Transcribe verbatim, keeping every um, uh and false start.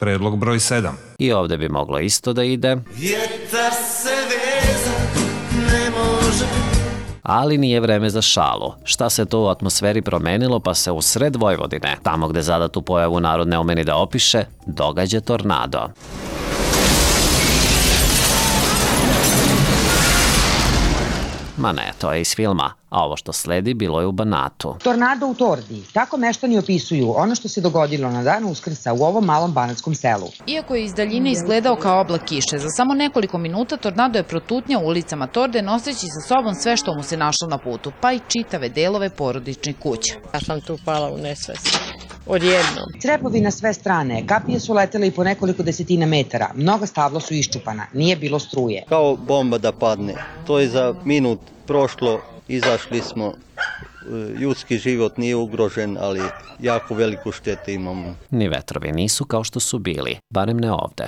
Predlog broj sedam. I ovde bi moglo isto da ide. Vjetar se vezat ne može. Ali nije vreme za šalu. Šta se to u atmosferi promenilo pa se u sred Vojvodine, tamo gde zadatu pojavu narod ne umeni da opiše, događa tornado. Ma ne, to je iz filma, a ovo što sledi bilo je u Banatu. Tornado u Tordi. Tako meštani opisuju ono što se dogodilo na dan Uskrsa u ovom malom banatskom selu. Iako je iz daljine izgledao kao oblak kiše, za samo nekoliko minuta tornado je protutnjao ulicama Torde noseći sa sobom sve što mu se našlo na putu, pa i čitave delove porodičnih kuća. Ja sam tu pala u nesvest. Odjednom. Crepovi na sve strane, kapije su letele i po nekoliko desetina metara, mnoga stabla su iščupana, nije bilo struje. Kao bomba da padne, to je za minut prošlo, izašli smo, ljudski život nije ugrožen, ali jako veliku štetu imamo. Ni vetrovi nisu kao što su bili, barem ne ovde.